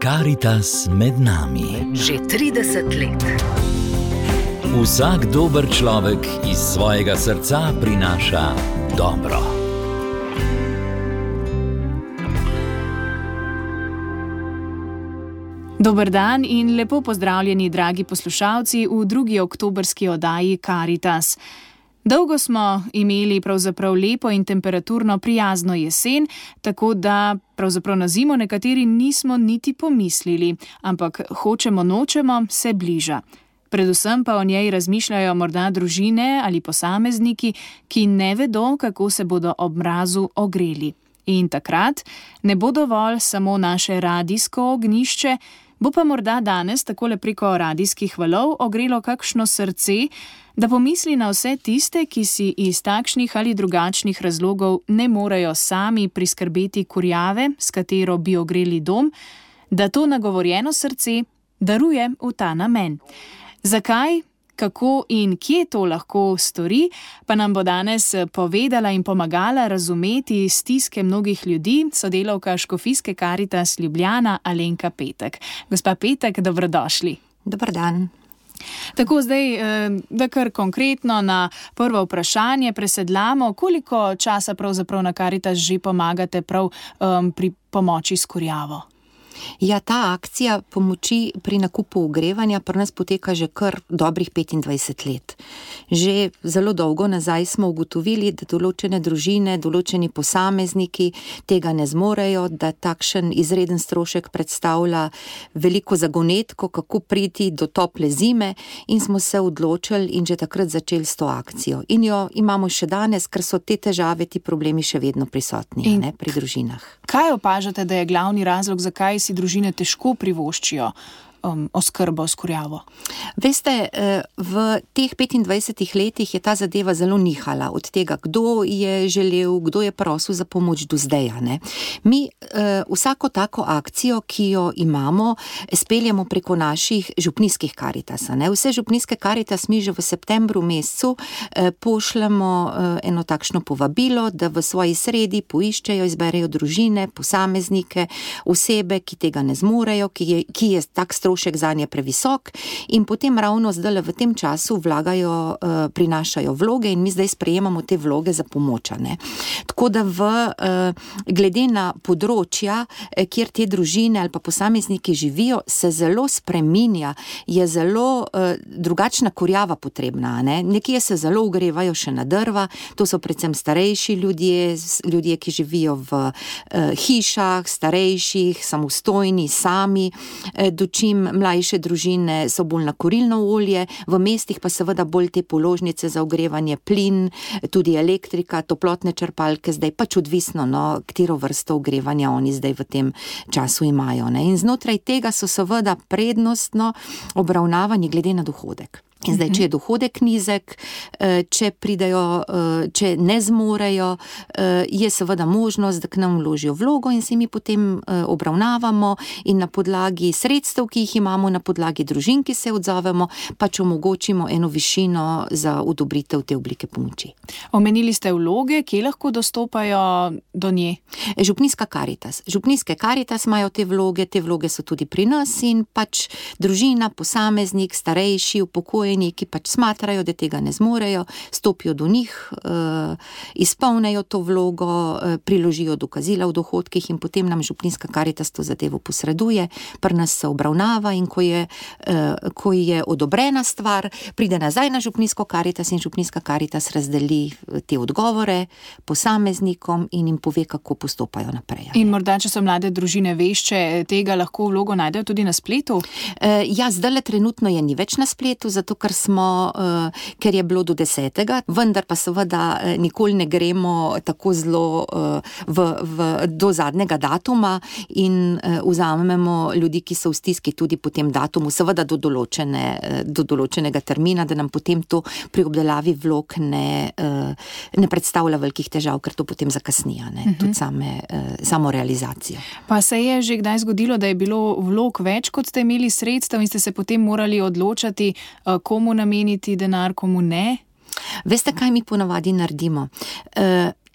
Karitas med nami. Že 30 let. Vsak dober človek iz svojega srca prinaša dobro. Dober dan in lepo pozdravljeni, dragi poslušalci, v drugi oktobrski oddaji Karitas. Dolgo smo imeli pravzaprav lepo in temperaturno prijazno jesen, tako da pravzaprav na zimo nekateri nismo niti pomislili, ampak hočemo nočemo se bliža. Predvsem pa o njej razmišljajo morda družine ali posamezniki, ki ne vedo, kako se bodo ob mrazu ogreli. In takrat ne bo dovolj samo naše radijsko ognjišče, bo pa morda danes takole preko radijskih valov ogrelo kakšno srce, da pomisli na vse tiste, ki si iz takšnih ali drugačnih razlogov ne morejo sami priskrbeti kurjave, s katero bi ogreli dom, da to nagovorjeno srce daruje v ta namen. Zakaj, kako in kje to lahko stori, pa nam bo danes povedala in pomagala razumeti stiske mnogih ljudi sodelavka Škofijske Karitas Ljubljana Alenka Petek. Gospa Petek, dobrodošli. Dober dan. Tako, zdaj, da kar konkretno na prvo vprašanje presedlamo, koliko časa pravzaprav na Karitas že pomagate prav pri pomoči s kurjavo? Ja, ta akcija pomoči pri nakupu ogrevanja pri nas poteka že kar dobrih 25 let. Že zelo dolgo nazaj smo ugotovili, da določene družine, določeni posamezniki tega ne zmorejo, da takšen izreden strošek predstavlja veliko zagonetko, kako priti do tople zime, in smo se odločili in že takrat začeli s to akcijo. In jo imamo še danes, ker so te težave, ti problemi še vedno prisotni pri družinah. Kaj opažate, da je glavni razlog, zakaj si družine težko privoščijo oskrbo s kurjavo? Veste, v teh 25 letih je ta zadeva zelo nihala od tega, kdo je želel, kdo je prosil za pomoč do zdaj. Mi vsako tako akcijo, ki jo imamo, speljamo preko naših župnijskih Karitas. Vse župnijske Karitas mi že v septembru mesecu pošljemo eno takšno povabilo, da v svoji sredi poiščejo, izberejo družine, posameznike, osebe, ki tega ne zmorejo, ki je tak strošek zanje previsok, in potem ravno zdaj v tem času prinašajo vloge in mi zdaj sprejemamo te vloge za pomoč. Tako da glede na področja, kjer te družine ali pa posamezniki živijo, se zelo spreminja, je zelo drugačna kurjava potrebna. Nekje se zelo ogrevajo še na drva, to so predvsem starejši ljudje, ki živijo v hišah, starejših, samostojni, sami, dočim mlajše družine so bolj na kurilno olje, v mestih pa seveda bolj te položnice za ogrevanje, plin, tudi elektrika, toplotne črpalke, zdaj pač odvisno, katero vrsto ogrevanja oni zdaj v tem času imajo. In znotraj tega so seveda prednostno obravnavani glede na dohodek. In zdaj, če je dohodek nizek, če ne zmorejo, je seveda možnost, da k nam vložijo vlogo in se mi potem obravnavamo in na podlagi sredstev, ki jih imamo, na podlagi družin, ki se odzovemo, pač omogočimo eno višino za odobritev te oblike pomoči. Omenili ste vloge, kje lahko dostopajo do nje? Župnijska Karitas. Župnijske Karitas imajo te vloge so tudi pri nas in pač družina, posameznik, starejši, upokojeni, ki pač smatrajo, da tega ne zmorejo, stopijo do njih, izpolnejo to vlogo, priložijo dokazila o dohodkih in potem nam župnijska Karitas to zadevo posreduje, pri nas se obravnava in ko je odobrena stvar, pride nazaj na župnijsko Karitas in župnijska Karitas razdeli te odgovore posameznikom in jim pove, kako postopajo naprej. In morda, če so mlade družine vešče, tega lahko vlogo najdejo tudi na spletu? Ja, zdajle trenutno je ni več na spletu, zato ker je bilo do 10. vendar pa seveda nikoli ne gremo tako zelo do zadnjega datuma in vzamemo ljudi, ki so v stiski tudi po tem datumu, seveda do določenega termina, da nam potem to pri obdelavi vlog ne predstavlja velikih težav, ker to potem zakasnija, tudi samo realizacijo. Pa se je že kdaj zgodilo, da je bilo vlog več, kot ste imeli sredstev in ste se potem morali odločati, komu nameniti denar, komu ne? Veste, kaj mi ponavadi naredimo?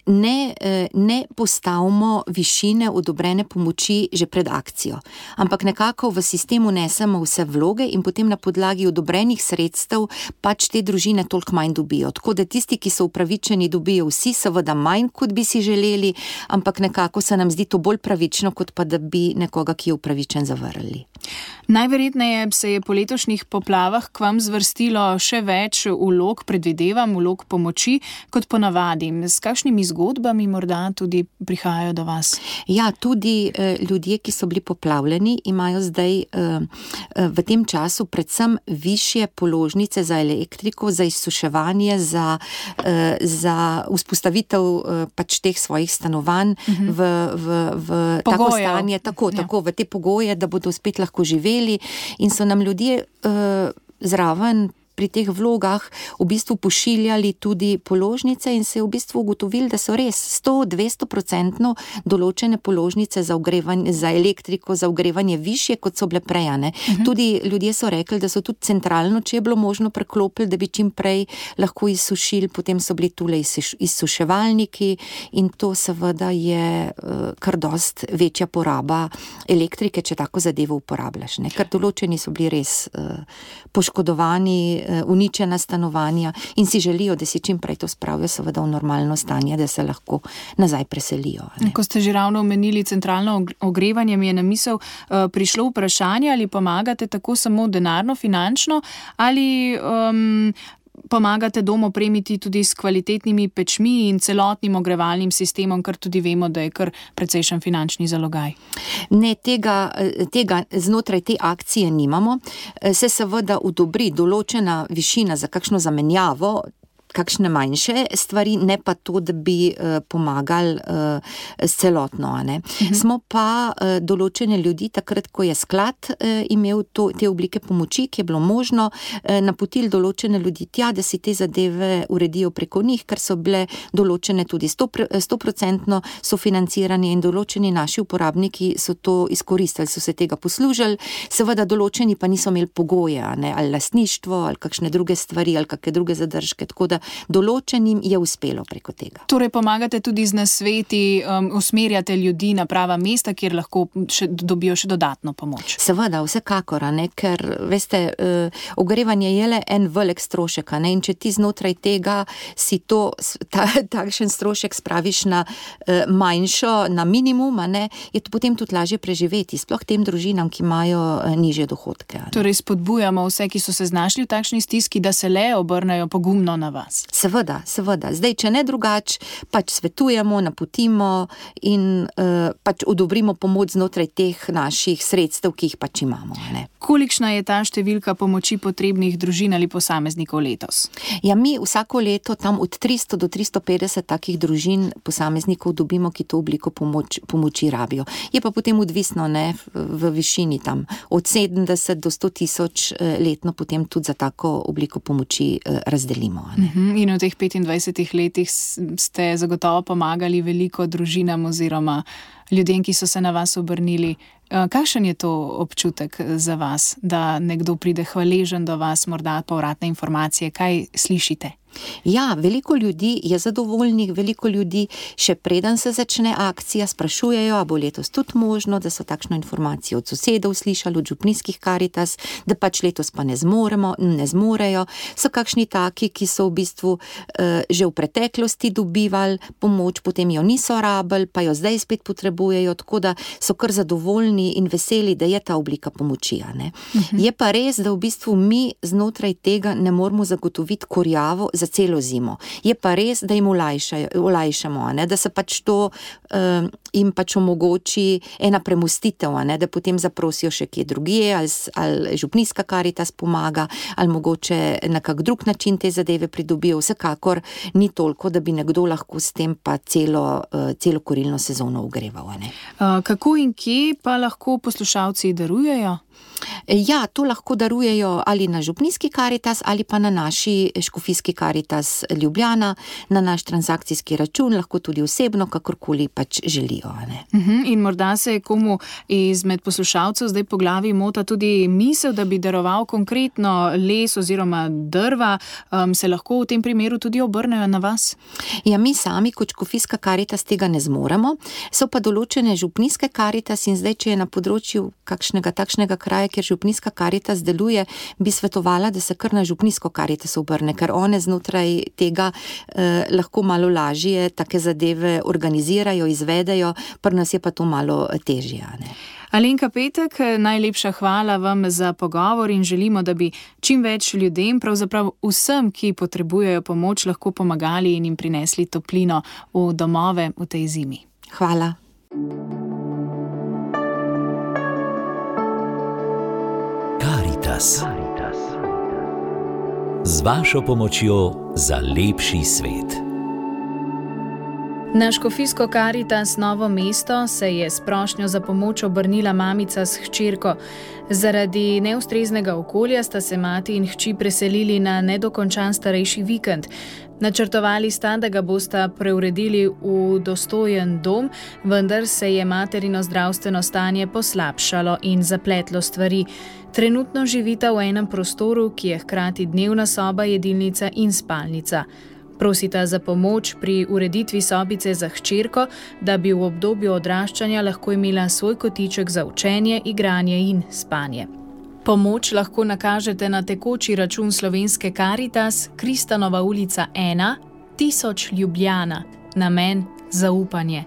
ne postavimo višine odobrene pomoči že pred akcijo, ampak nekako v sistemu nesemo vse vloge in potem na podlagi odobrenih sredstev pač te družine toliko manj dobijo. Tako da tisti, ki so upravičeni, dobijo vsi seveda manj, kot bi si želeli, ampak nekako se nam zdi to bolj pravično, kot pa da bi nekoga, ki je upravičen, zavrnili. Najverjetneje se je po letošnjih poplavah k vam zvrstilo še več vlog, predvidevam, vlog pomoči, kot ponavadi. S kakšnimi zgodbami morda tudi prihajajo do vas? Ja, tudi ljudje, ki so bili poplavljeni, imajo zdaj v tem času predvsem višje položnice za elektriko, za izsuševanje, za vzpostavitev pač teh svojih stanovanj v tako stanje, tako v te pogoje, da bodo spet lahko živeli, in so nam ljudje zraven pri teh vlogah v bistvu pošiljali tudi položnice in se je v bistvu ugotovili, da so res 100-200% določene položnice za ogrevanje, za elektriko, za ogrevanje višje, kot so bile prej. Tudi ljudje so rekli, da so tudi centralno, če je bilo možno, preklopili, da bi čim prej lahko izsušili, potem so bili tule izsuševalniki in to seveda je kar dost večja poraba elektrike, če tako zadevo uporabljaš. Ker določeni so bili res poškodovani, uničena stanovanja in si želijo, da si čim prej to spravijo seveda v normalno stanje, da se lahko nazaj preselijo. Ko ste že ravno omenili centralno ogrevanje, mi je na misel prišlo vprašanje, ali pomagate tako samo denarno, finančno, ali pomagate dom opremiti tudi s kvalitetnimi pečmi in celotnim ogrevalnim sistemom, kar tudi vemo, da je kar precejšen finančni zalogaj. Ne, tega znotraj te akcije nimamo. Se seveda odobri določena višina za kakšno zamenjavo, kakšne manjše stvari, ne pa to, da bi pomagali s celotno. Smo pa določene ljudi, takrat, ko je sklad imel te oblike pomoči, ki je bilo možno, napotili določene ljudi tja, da si te zadeve uredijo preko njih, ker so bile določene tudi 100% sofinanciranje in določeni naši uporabniki so to izkoristili, so se tega poslužili, seveda določeni pa niso imeli pogoje, ali lastništvo, ali kakšne druge stvari, ali kakšne druge zadržke, tako da določenim je uspelo preko tega. Torej pomagate tudi z nasveti, usmerjate ljudi na prava mesta, kjer lahko dobijo še dodatno pomoč. Seveda, vsekakor, ker veste, ogrevanje je le en velik strošek, in če ti znotraj tega si takšen strošek spraviš na manjšo, na minimum, je to potem tudi lažje preživeti, sploh tem družinam, ki imajo nižje dohodke. Torej spodbujamo vse, ki so se znašli v takšni stiski, da se le obrnejo pogumno na vas. Seveda. Zdaj, če ne drugače, pač svetujemo, napotimo in pač odobrimo pomoč znotraj teh naših sredstev, ki jih pač imamo. Kolikšna je ta številka pomoči potrebnih družin ali posameznikov letos? Ja, mi vsako leto tam od 300 do 350 takih družin posameznikov dobimo, ki to obliko pomoči rabijo. Je pa potem odvisno v višini tam od 70 do 100 tisoč letno potem tudi za tako obliko pomoči razdelimo. In v teh 25 letih ste zagotovo pomagali veliko družinam oziroma ljudem, ki so se na vas obrnili. Kakšen je to občutek za vas, da nekdo pride hvaležen do vas, morda povratne informacije, kaj slišite? Ja, veliko ljudi je zadovoljnih, veliko ljudi še preden se začne akcija sprašujejo, a bo letos tudi možno, da so takšno informacijo od sosedov slišali, od župnijskih Karitas, da pač letos pa ne zmorejo. So kakšni taki, ki so v bistvu že v preteklosti dobivali pomoč, potem jo niso rabili, pa jo zdaj spet potrebujejo, tako da so kar zadovoljni in veseli, da je ta oblika pomoči. Je pa res, da v bistvu mi znotraj tega ne moramo zagotoviti kurjavo za celo zimo. Je pa res, da jim olajšamo, da se pač to jim pač omogoči ena premostitev, da potem zaprosijo še kje drugje, ali župnijska Karitas pomaga, ali mogoče na kak drug način te zadeve pridobijo. Vsekakor ni toliko, da bi nekdo lahko s tem pa celo kurilno sezono ogreval. Kako in kje pa lahko poslušalci darujejo? Ja, to lahko darujejo ali na župnijski Karitas ali pa na naši škofijski Karitas Ljubljana, na naš transakcijski račun, lahko tudi osebno, kakorkoli pač želijo. Ne? In morda se komu izmed poslušalcev zdaj po glavi mota tudi misel, da bi daroval konkretno les oziroma drva, se lahko v tem primeru tudi obrnejo na vas? Ja, mi sami kot škofijska Karitas tega ne zmoremo, so pa določene župnijske Karitas in zdaj, če je na področju kakšnega takšnega kraja, kjer župnijska Karitas deluje, bi svetovala, da se kar na župnijsko Karitas obrne, ker one znotraj tega lahko malo lažje take zadeve organizirajo, izvedejo, pri nas je pa to malo težje. Ne? Alenka Petek, najlepša hvala vam za pogovor in želimo, da bi čim več ljudem, pravzaprav vsem, ki potrebujejo pomoč, lahko pomagali in jim prinesli toplino v domove v tej zimi. Hvala. Karitas. Z vašo pomočjo za lepši svet. Na škofijsko Karitas Novo mesto se je s prošnjo za pomoč obrnila mamica s hčerko. Zaradi neustreznega okolja sta se mati in hči preselili na nedokončan starejši vikend. Načrtovali sta, da ga bosta preuredili v dostojen dom, vendar se je materino zdravstveno stanje poslabšalo in zapletlo stvari. Trenutno živita v enem prostoru, ki je hkrati dnevna soba, jedilnica in spalnica. Prosita za pomoč pri ureditvi sobice za hčerko, da bi v obdobju odraščanja lahko imela svoj kotiček za učenje, igranje in spanje. Pomoč lahko nakažete na tekoči račun Slovenske Karitas, Kristanova ulica 1, 1000 Ljubljana, namen zaupanje.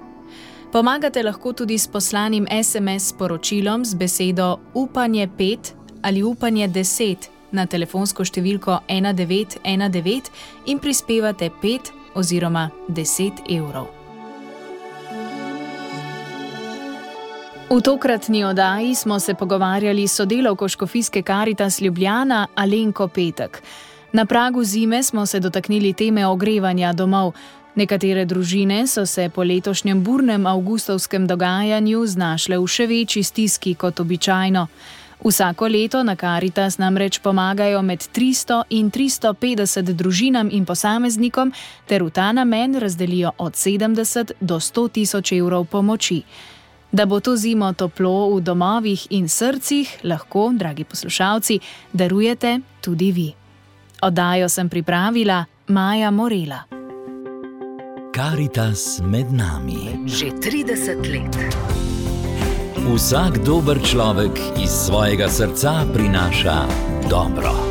Pomagate lahko tudi s poslanim SMS sporočilom z besedo upanje 5 ali upanje 10 na telefonsko številko 1919 in prispevate 5 oziroma 10 evrov. V tokratni oddaji smo se pogovarjali s sodelavko škofijske Karitas Ljubljana Alenko Petek. Na pragu zime smo se dotaknili teme ogrevanja domov. Nekatere družine so se po letošnjem burnem avgustovskem dogajanju znašle v še večji stiski kot običajno. Vsako leto na Karitas namreč pomagajo med 300 in 350 družinam in posameznikom ter v ta namen razdelijo od 70 do 100 tisoč evrov pomoči. Da bo to zimo toplo v domovih in srcih, lahko, dragi poslušalci, darujete tudi vi. Oddajo sem pripravila Maja Morela. Karitas med nami. Že 30 let. Vsak dober človek iz svojega srca prinaša dobro.